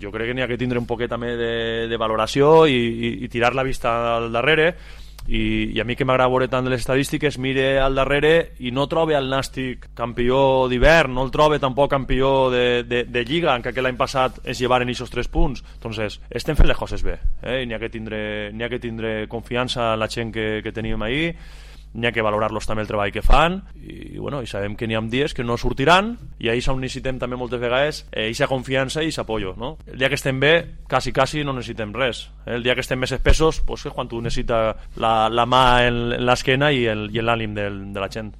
Jo crec que n'hi ha que tindre un poquet també de valoració i tirar la vista al darrere. I a mi que m'agrada veure tant de les estadístiques, mire al darrere i no trobe el Nàstic campió d'hivern, no el trobe tampoc campió de Lliga, encara que l'any passat es llevaren aquests 3 punts. Entonces, estem fent les coses bé, i n'hi ha que tindre confiança en la gent que tenim ahir, n'hi ha que valorar-los també el treball que fan i sabem que n'hi ha dies que no sortiran i ahir on necessitem també moltes vegades aquesta confiança i aquest apoyo, no? El dia que estem bé, quasi no necessitem res, el dia que estem més espessos, pues és quan tu necessites la mà en l'esquena i l'ànim de la gent.